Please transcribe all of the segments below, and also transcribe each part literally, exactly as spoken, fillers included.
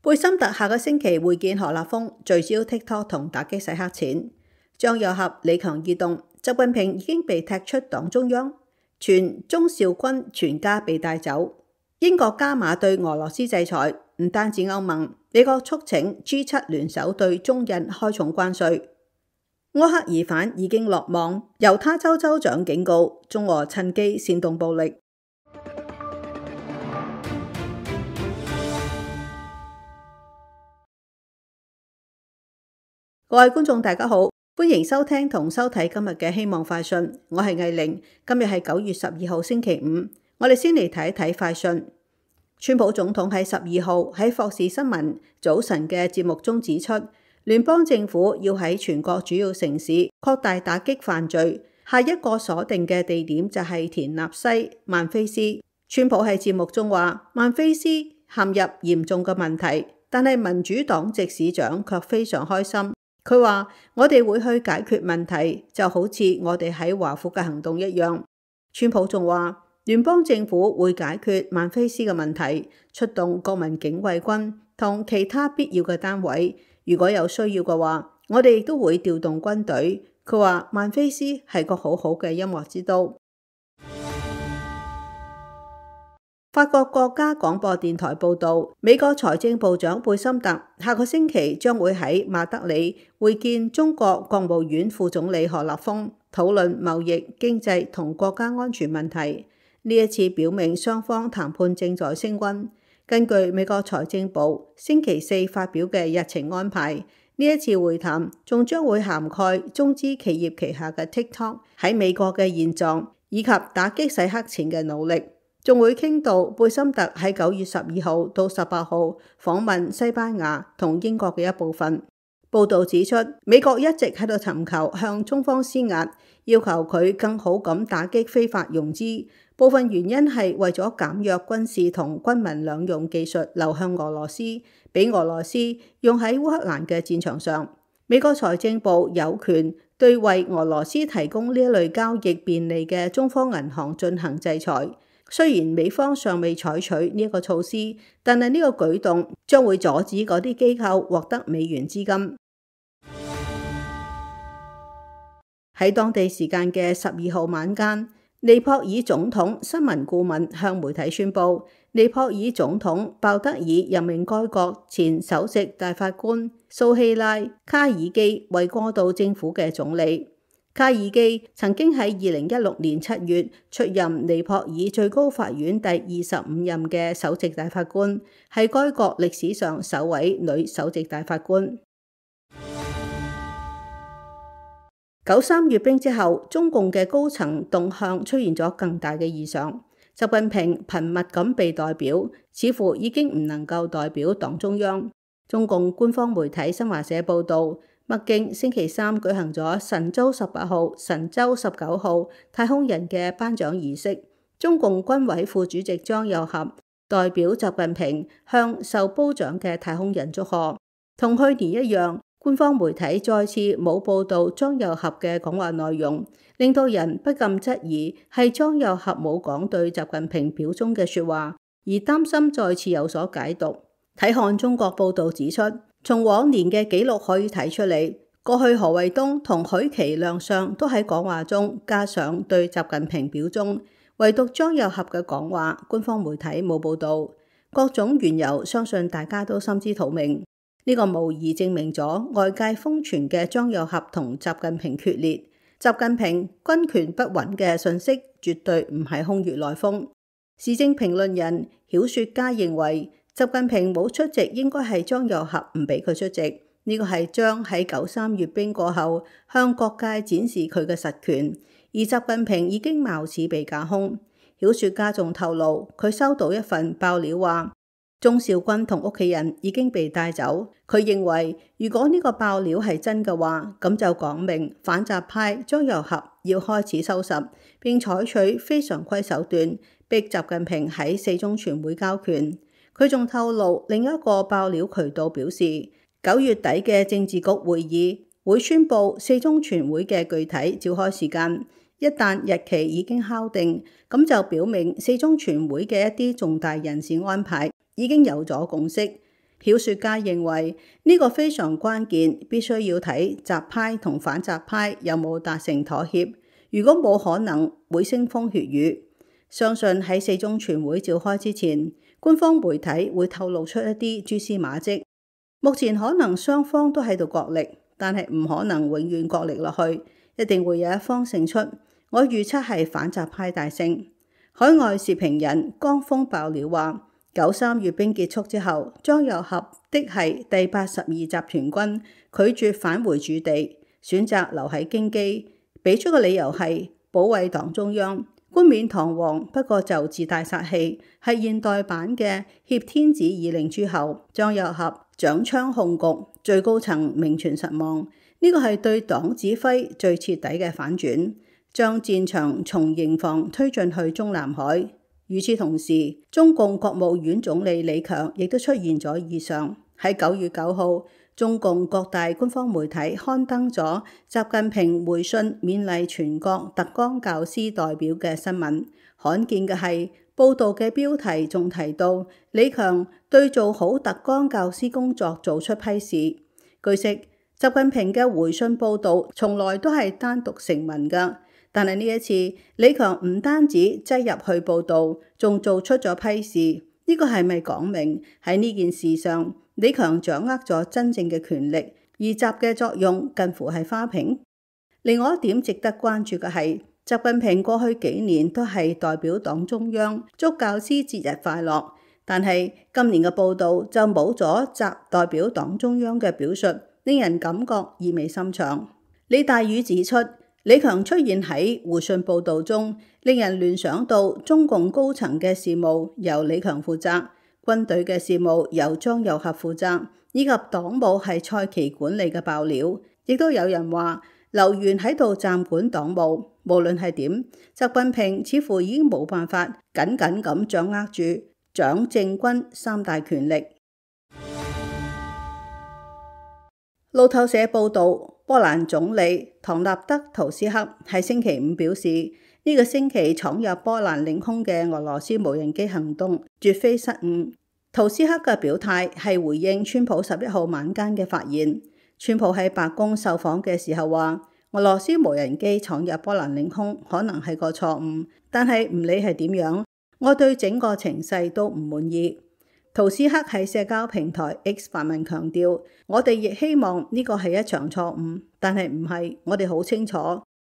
貝森特下個星期會見何立峰，聚焦 TikTok 同打擊洗黑錢。張又俠、李強異動，習近平已經被踢出黨中央，傳鍾肇軍全家被帶走。英國加碼對俄羅斯制裁，唔單止歐盟，美國促請 G 七 聯手對中印開重關稅。柯克疑犯已經落網，猶他州州長警告中俄趁機煽動暴力。各位觀眾大家好，歡迎收聽同收睇今日嘅希望快訊，我係藝玲。今日係九月十二號星期五，我哋先嚟睇一睇快訊。川普總統喺十二號喺霍士新聞早晨嘅節目中指出，聯邦政府要喺全國主要城市擴大打擊犯罪，下一個鎖定嘅地點就係田納西、曼菲斯。川普喺節目中話，曼菲斯陷入嚴重嘅問題，但係民主黨籍市長卻非常開心。佢話：我哋會去解決問題，就好似我哋喺華府嘅行動一樣。川普仲話，聯邦政府會解決曼菲斯嘅問題，出動國民警衛軍同其他必要嘅單位。如果有需要嘅話，我哋亦都會調動軍隊。佢話曼菲斯係個好好嘅音樂之都。法國國家廣播電台報導，美國財政部長貝森特下個星期將會喺馬德里會見中國國務院副總理何立峰，討論貿易、經濟同國家安全問題。呢一次表明雙方談判正在升溫。根據美國財政部星期四發表嘅日程安排，呢一次會談仲將會涵蓋中資企業旗下嘅 TikTok 喺美國嘅現狀，以及打擊洗黑錢嘅努力。仲會傾到貝森特喺九月十二號到十八號訪問西班牙同英國嘅一部分。報導指出，美國一直喺度尋求向中方施壓，要求佢更好咁打擊非法融資。部分原因係為咗減弱軍事同軍民兩用技術流向俄羅斯，俾俄羅斯用喺烏克蘭嘅戰場上。美國財政部有權對為俄羅斯提供呢一類交易便利嘅中方銀行進行制裁。雖然美方尚未採取呢一個措施，但係呢個舉動將會阻止嗰啲機構獲得美元資金。喺當地時間嘅十二號晚間，尼泊爾總統新聞顧問向媒體宣布，尼泊爾總統鮑德爾任命該國前首席大法官蘇希拉卡爾基為過渡政府嘅總理。卡爾基曾經喺二零一六年七月出任尼泊爾最高法院第二十五任嘅首席大法官，係該國歷史上首位女首席大法官。九三閱兵之後，中共嘅高層動向出現咗更大嘅異常。習近平頻密咁被代表，似乎已經唔能夠代表黨中央。中共官方媒體新華社報道，北京星期三舉行咗神舟十八號、神舟十九號太空人嘅頒獎儀式。中共軍委副主席張又俠代表習近平向受褒獎嘅太空人祝賀。同去年一樣，官方媒體再次冇報導張又俠嘅講話內容，令到人不禁質疑係張又俠冇講對習近平表忠嘅說話，而擔心再次有所解讀。睇看中國報導指出，從往年嘅記錄可以睇出嚟，過去何衛東同許其亮相都喺講話中加上對習近平表忠，唯獨張又俠嘅講話，官方媒體冇報導。各種緣由，相信大家都心知肚明。呢、這個無疑證明咗外界瘋傳嘅張又俠同習近平決裂、習近平軍權不穩嘅信息，絕對唔係空穴來風。時政評論人、曉說家認為，習近平冇出席，應該係張又俠唔俾佢出席。呢、這個係張喺九三閱兵過後向各界展示佢嘅實權，而習近平已經貌似被架空。曉說家仲透露，佢收到一份爆料話，鍾肇軍同屋企人已經被帶走。佢認為，如果呢個爆料係真嘅話，咁就講明反習派張又俠要開始收拾，並採取非常規手段，逼習近平喺四中全會交權。佢仲透露另一個爆料渠道表示，九月底嘅政治局會議會宣布四中全會嘅具體召開時間。一旦日期已經敲定，咁就表明四中全會嘅一啲重大人事安排已經有咗共識。曉說家認為呢個非常關鍵，必須要睇習派同反習派有冇達成妥協。如果冇可能，會腥風血雨。相信喺四中全會召開之前，官方媒體會透露出一啲蛛絲馬跡。目前可能雙方都喺度角力，但係唔可能永遠角力落去，一定會有一方勝出。我預測係反習派大勝。海外時評人江峰爆料話，九三閱兵結束之後，張又俠的係第八十二集團軍拒絕返回駐地，選擇留喺京畿，俾出嘅理由係保衛黨中央。冠冕堂皇，不過就自帶殺氣，係現代版嘅挾天子以令諸侯。張又俠掌槍控局，最高層名存實亡，呢個係對黨指揮最徹底嘅反轉，將戰場從營房推進去中南海。與此同時，中共國務院總理李強亦都出現咗異常。喺九月九號，中共各大官方媒體刊登咗習近平回信勉勵全國特崗教師代表嘅新聞。罕見嘅係，報道嘅標題仲提到李強對做好特崗教師工作做出批示。據悉，習近平嘅回信報道從來都係單獨成文㗎。但係呢一次，李強唔單止擠入去報導，仲做出咗批示。呢個係咪講明喺呢件事上，李強掌握咗真正嘅權力，而習嘅作用近乎係花瓶？另外一點值得關注嘅係，習近平過去幾年都係代表黨中央祝教師節日快樂，但係今年嘅報導就冇咗習代表黨中央嘅表述，令人感覺意味深長。李大宇指出，李強出現喺回信報導中，令人聯想到中共高層嘅事務由李強負責，軍隊嘅事務由張又俠負責，以及黨務係蔡奇管理嘅爆料。亦都有人話劉源喺度暫管黨務。無論係點，習近平似乎已經冇辦法緊緊咁掌握住蔣政軍三大權力。路透社報導，波蘭總理唐納德圖斯克喺星期五表示，呢、這個星期闖入波蘭領空嘅俄羅斯無人機行動絕非失誤。圖斯克嘅表態係回應川普十一號晚間嘅發言。川普喺白宮受訪嘅時候話，俄羅斯無人機闖入波蘭領空可能係個錯誤，但係唔理係點樣，我對整個情勢都唔滿意。圖斯克喺社交平台 X 發文強調，我哋亦希望呢個係一場錯誤，但係唔係，我哋好清楚。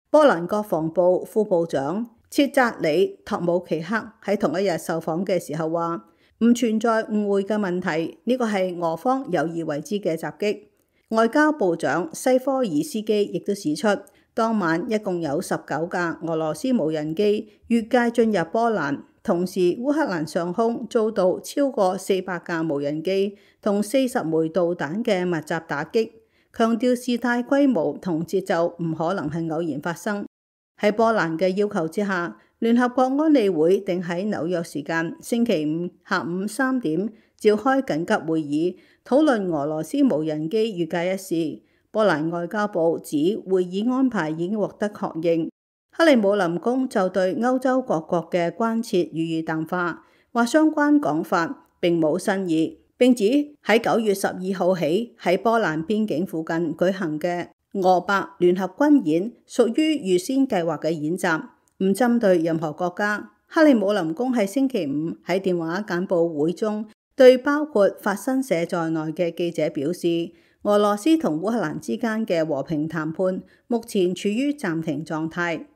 波蘭國防部副部長切扎里托姆奇克喺同一日受訪嘅時候話，唔存在誤會嘅問題，呢個係俄方有意為之嘅襲擊。外交部長西科爾斯基亦都指出，當晚一共有十九架俄羅斯無人機越界進入波蘭。同時，烏克蘭上空遭到超過四百架無人機同四十枚導彈嘅密集打擊，強調事態規模同節奏唔可能係偶然發生。喺波蘭嘅要求之下，聯合國安理會定喺紐約時間星期五下午三點召開緊急會議，討論俄羅斯無人機越界一事。波蘭外交部指會議安排已經獲得確認。克里姆林宮就對歐洲各國嘅關切予以淡化，話相關講法並冇新意，並指喺九月十二號起喺波蘭邊境附近舉行嘅俄白聯合軍演屬於預先計劃嘅演習，唔針對任何國家。克里姆林宮喺星期五喺電話簡報會中對包括法新社在內嘅記者表示，俄羅斯同烏克蘭之間嘅和平談判目前處於暫停狀態。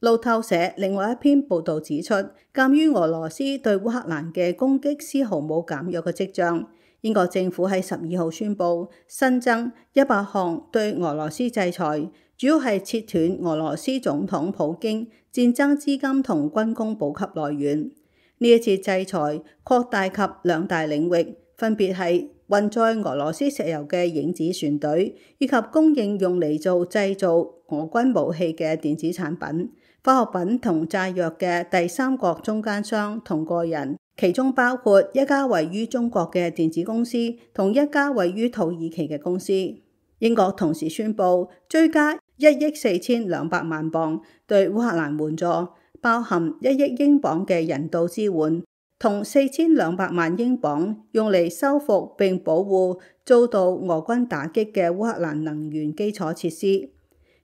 路透社另外一篇報導指出，鑑於俄羅斯對烏克蘭嘅攻擊絲毫冇減弱嘅跡象，英國政府喺十二號宣布新增一百項對俄羅斯制裁，主要係切斷俄羅斯總統普京戰爭資金同軍工補給來源。呢一次制裁擴大及兩大領域，分別係運載俄羅斯石油嘅影子船隊，以及供應用嚟做製造俄軍武器嘅電子產品、化學品同炸藥嘅第三國中間商同個人，其中包括一家位於中國嘅電子公司同一家位於土耳其嘅公司。英國同時宣布追加一億四千兩百萬鎊對烏克蘭援助，包含一億英鎊嘅人道支援，同四千兩百萬英鎊用嚟修復並保護遭到俄軍打擊嘅烏克蘭能源基礎設施。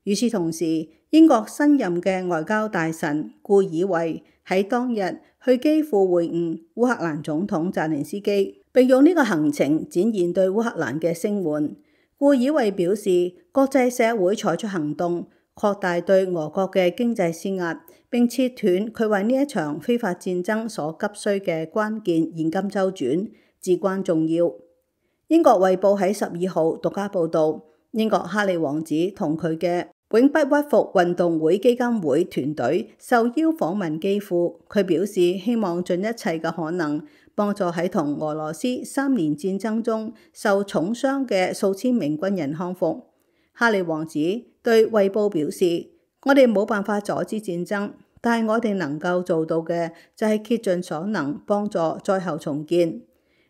與此同時，英國新任嘅外交大臣顧爾維喺當日去基輔會晤烏克蘭總統澤連斯基，並用呢個行程展現對烏克蘭嘅聲援。顧爾維表示，國際社會採取行動，擴大對俄國嘅經濟施壓，並切斷佢為呢一場非法戰爭所急需嘅關鍵現金周轉，至關重要。英國衛報喺十二號獨家報導，英國哈利王子同佢嘅永不屈服運動會基金會團隊受邀訪問基輔，佢表示希望盡一切嘅可能幫助喺同俄羅斯三年戰爭中受重傷嘅數千名軍人康復。哈利王子對衛報表示，我哋冇辦法阻止戰爭，但係我哋能夠做到嘅就係竭盡所能幫助災後重建。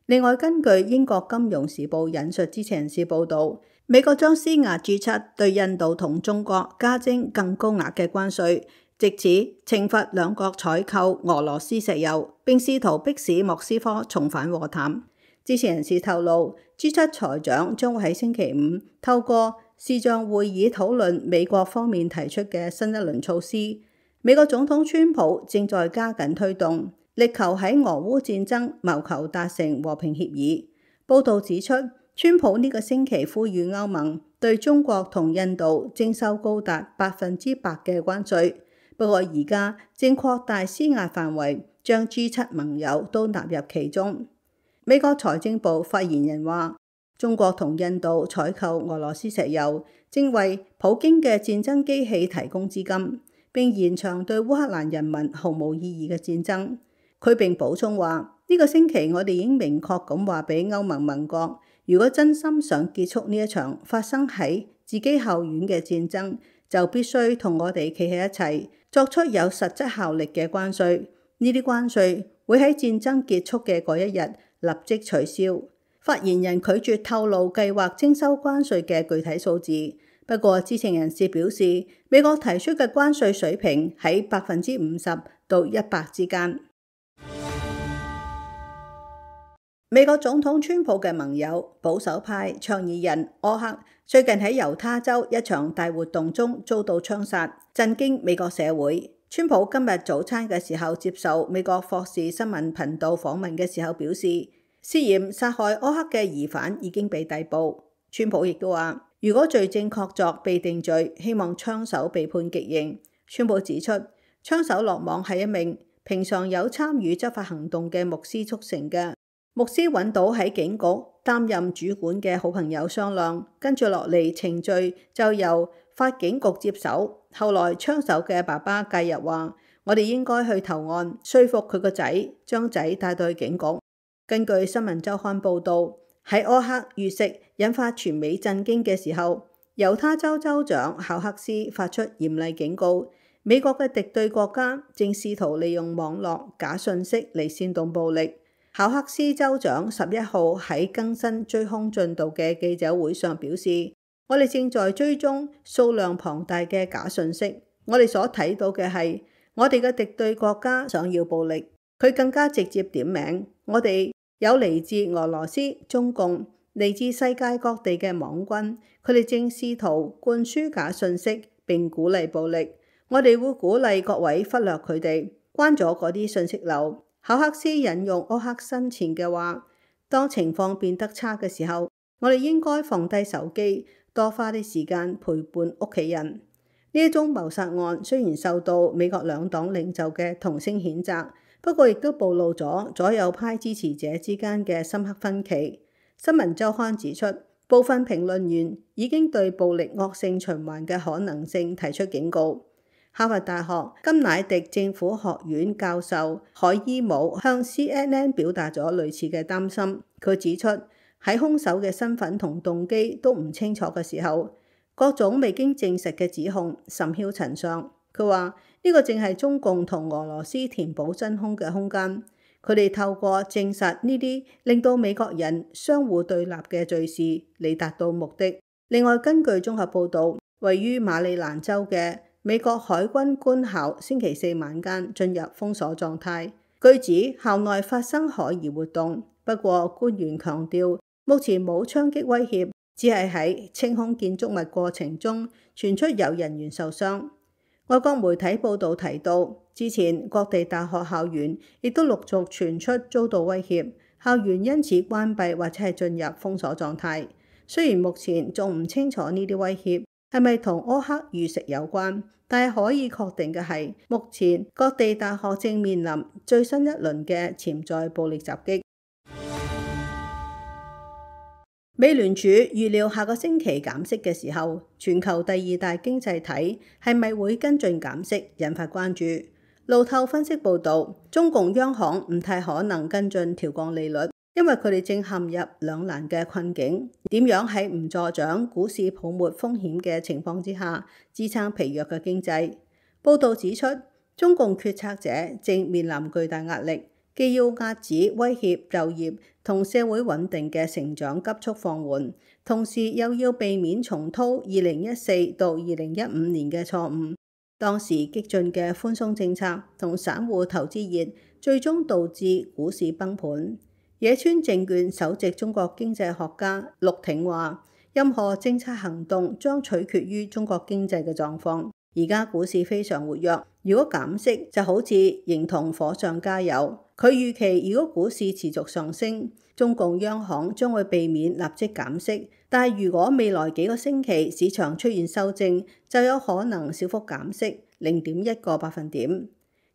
另外，根據英國金融時報引述知情人士報導，美國將施壓 G 七對印度同中國加徵更高額嘅關稅，藉此懲罰兩國採購俄羅斯石油，並試圖迫使莫斯科重返和談。知情人士透露 ，G 七財長將會喺星期五透過視像會議討論美國方面提出嘅新一輪措施。美國總統川普正在加緊推動，力求喺俄烏戰爭謀求達成和平協議。報導指出，川普呢個星期呼籲歐盟對中國同印度徵收高達百分之百嘅關稅，不過而家正擴大施壓範圍，將 G 七盟友都納入其中。美國財政部發言人話，中國同印度採購俄羅斯石油，正為普京嘅戰爭機器提供資金，並延長對烏克蘭人民毫無意義嘅戰爭。佢並補充話，呢個星期我哋已經明確咁話俾歐盟盟國，如果真心想結束呢一場發生喺自己後院嘅戰爭，就必須同我哋企喺一齊，作出有實質效力嘅關稅。呢啲關稅會喺戰爭結束嘅嗰一日立即取消。發言人拒絕透露計劃徵收關稅嘅具體數字，不過知情人士表示，美國提出嘅關稅水平喺百分之五十到一百之間。美國總統川普嘅盟友保守派倡議人柯克最近喺猶他州一場大活動中遭到槍殺，震驚美國社會。川普今日早餐嘅時候接受美國霍士新聞頻道訪問嘅時候表示，涉嫌殺害柯克嘅疑犯已經被逮捕。川普亦都話，如果罪證確鑿被定罪，希望槍手被判極刑。川普指出，槍手落網係一名平常有參與執法行動嘅牧師促成嘅。牧師揾到喺警局擔任主管嘅好朋友商量，跟住落嚟程序就由法警局接手。後來槍手嘅爸爸介入話，我哋應該去投案，說服佢個仔將仔帶到去警局。根據新聞週刊報導，喺柯克遇刺引發全美震驚嘅時候，猶他州州長考克斯發出嚴厲警告，美國嘅敵對國家正試圖利用網絡假訊息嚟煽動暴力。考克斯州長十一號喺更新追兇進度嘅記者會上表示，我哋正在追蹤數量龐大嘅假訊息，我哋所睇到嘅係我哋嘅敵對國家想要暴力。佢更加直接點名，我哋有嚟自俄羅斯、中共、嚟自世界各地嘅網軍，佢哋正試圖灌輸假訊息並鼓勵暴力。我哋會鼓勵各位忽略佢哋，關咗嗰啲訊息流。考克斯引用柯克生前嘅話，當情況變得差嘅時候，我哋應該放低手機，多花啲時間陪伴屋企人。呢一宗謀殺案雖然受到美國兩黨領袖嘅同聲譴責，不過亦都暴露咗左右派支持者之間嘅深刻分歧。新聞週刊指出，部分評論員已經對暴力惡性循環嘅可能性提出警告。哈佛大學甘乃迪政府學院教授海伊姆向 C N N 表達咗類似嘅擔心。佢指出，喺兇手嘅身份同動機都唔清楚嘅時候，各種未經證實嘅指控甚囂塵上。佢話呢個正係中共同俄羅斯填補真空嘅空間。佢哋透過證實呢啲令到美國人相互對立嘅罪事嚟達到目的。另外，根據綜合報導，位於馬里蘭州嘅美國海軍官校星期四晚間進入封鎖狀態。據指校內發生可疑活動，不過官員強調目前冇槍擊威脅，只係喺清空建築物過程中傳出有人員受傷。外國媒體報導提到，之前各地大學校園亦都陸續傳出遭到威脅，校園因此關閉或者係進入封鎖狀態。雖然目前仲唔清楚呢啲威脅係咪同柯克遇刺有關，但係可以確定嘅係，目前各地大學正面臨最新一輪嘅潛在暴力襲擊。美聯儲預料下個星期減息嘅時候，全球第二大經濟體係咪會跟進減息，引發關注。路透分析報導，中共央行唔太可能跟進調降利率，因為佢哋正陷入兩難嘅困境。點樣喺唔助長股市泡沫風險嘅情況之下，支撐疲弱嘅經濟？報導指出，中共決策者正面臨巨大壓力。既要壓止威脅就業同社會穩定嘅成長急速放緩，同時又要避免重蹈二零一四到二零一五年嘅錯誤。當時激進嘅寬鬆政策同散戶投資熱，最終導致股市崩盤。野村證券首席中國經濟學家陸挺話：任何政策行動將取決於中國經濟嘅狀況。而家股市非常活躍，如果減息就好似形同火上加油。佢預期如果股市持續上升，中共央行將會避免立即減息，但係如果未來幾個星期市場出現修正，就有可能小幅減息零點一個百分點。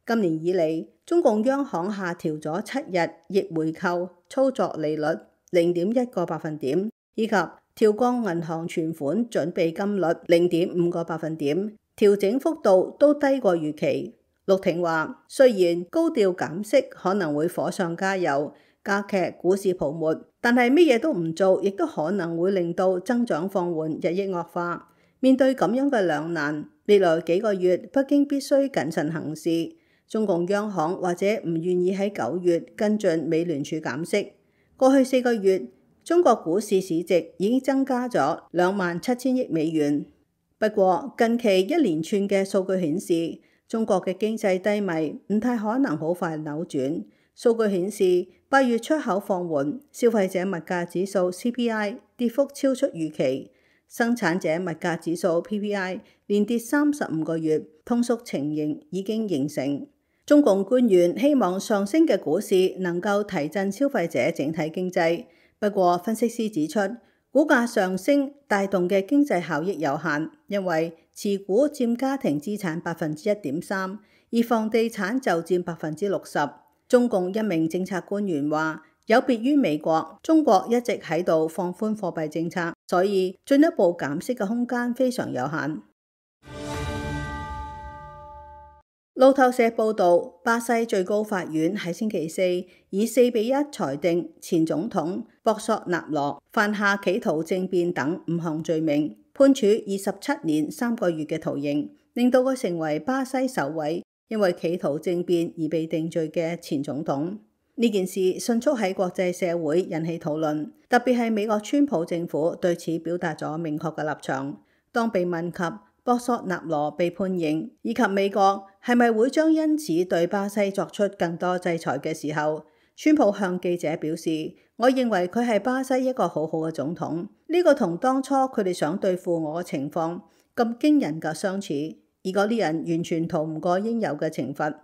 今年以嚟，中共央行下調咗七日逆回購操作利率零點一個百分點，以及調降銀行存款準備金率零點五個百分點。調整幅度都低過預期。陸挺話：雖然高調減息可能會火上加油，加劇股市泡沫，但係乜嘢都唔做，亦都可能會令到增長放緩，日益惡化。面對咁樣嘅兩難，未來幾個月北京必須謹慎行事。中共央行或者唔願意喺九月跟進美聯儲減息。過去四個月，中國股市市值已經增加咗兩萬七千億美元。不過近期一連串嘅數據顯示，中國嘅經濟低迷唔太可能好快扭轉。數據顯示，八月出口放緩，消費者物價指數 C P I 跌幅超出預期，生產者物價指數 P P I 連跌三十五個月，通縮情形已經形成。中共官員希望上升嘅股市能夠提振消費者整體經濟，不過分析師指出，股價上升帶動嘅經濟效益有限，因為持股佔家庭資產百分之一點三，而房地產就佔百分之六十。中共一名政策官員話：有別於美國，中國一直喺度放寬貨幣政策，所以進一步減息嘅空間非常有限。路透社報導，巴西最高法院喺星期四以四比一裁定前總統博索納羅犯下企圖政變等五項罪名，判處二十七年三個月嘅徒刑，令到佢成為巴西首位因為企圖政變而被定罪嘅前總統。呢件事迅速喺國際社會引起討論，特別係美國川普政府對此表達咗明確嘅立場。當被問及博索納羅被判刑，以及美國係咪會將因此對巴西作出更多制裁嘅時候，川普向記者表示：我認為佢係巴西一個好好嘅總統，呢個同當初佢哋想對付我嘅情況咁驚人嘅相似，而嗰啲人完全逃唔過應有嘅懲罰。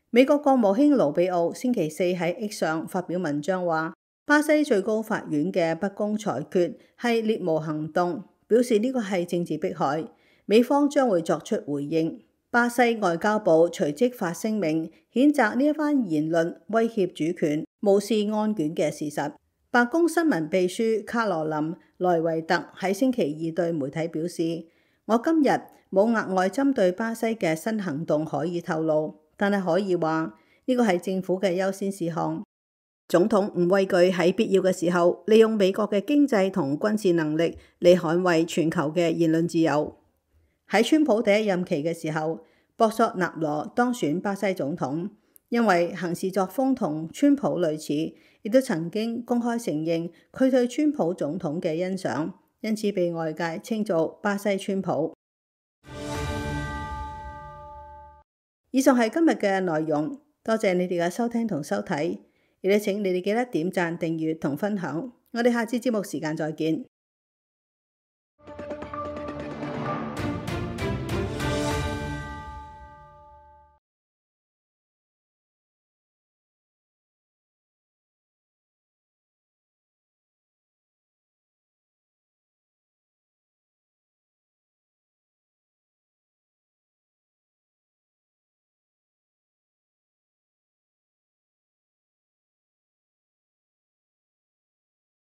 美國國務卿盧比奧星期四喺 X 上發表文章話，巴西最高法院嘅不公裁決係獵巫行動，表示呢個係政治迫害。美方將會作出回應。巴西外交部隨即發聲明，譴責呢一番言論威脅主權、無視案卷嘅事實。白宮新聞秘書卡羅琳萊維特喺星期二對媒體表示：我今日冇額外針對巴西嘅新行動可以透露，但係可以話呢個係政府嘅優先事項。總統唔畏懼喺必要嘅時候利用美國嘅經濟同軍事能力嚟捍衛全球嘅言論自由。喺川普第一任期嘅時候，博索納羅當選巴西總統，因為行事作風同川普類似，亦都曾經公開承認佢對川普總統嘅欣賞，因此被外界稱做巴西川普。以上係今日嘅內容，多謝你哋嘅收聽同收睇，亦都請你哋記得點讚、訂閱同分享。我哋下次節目時間再見。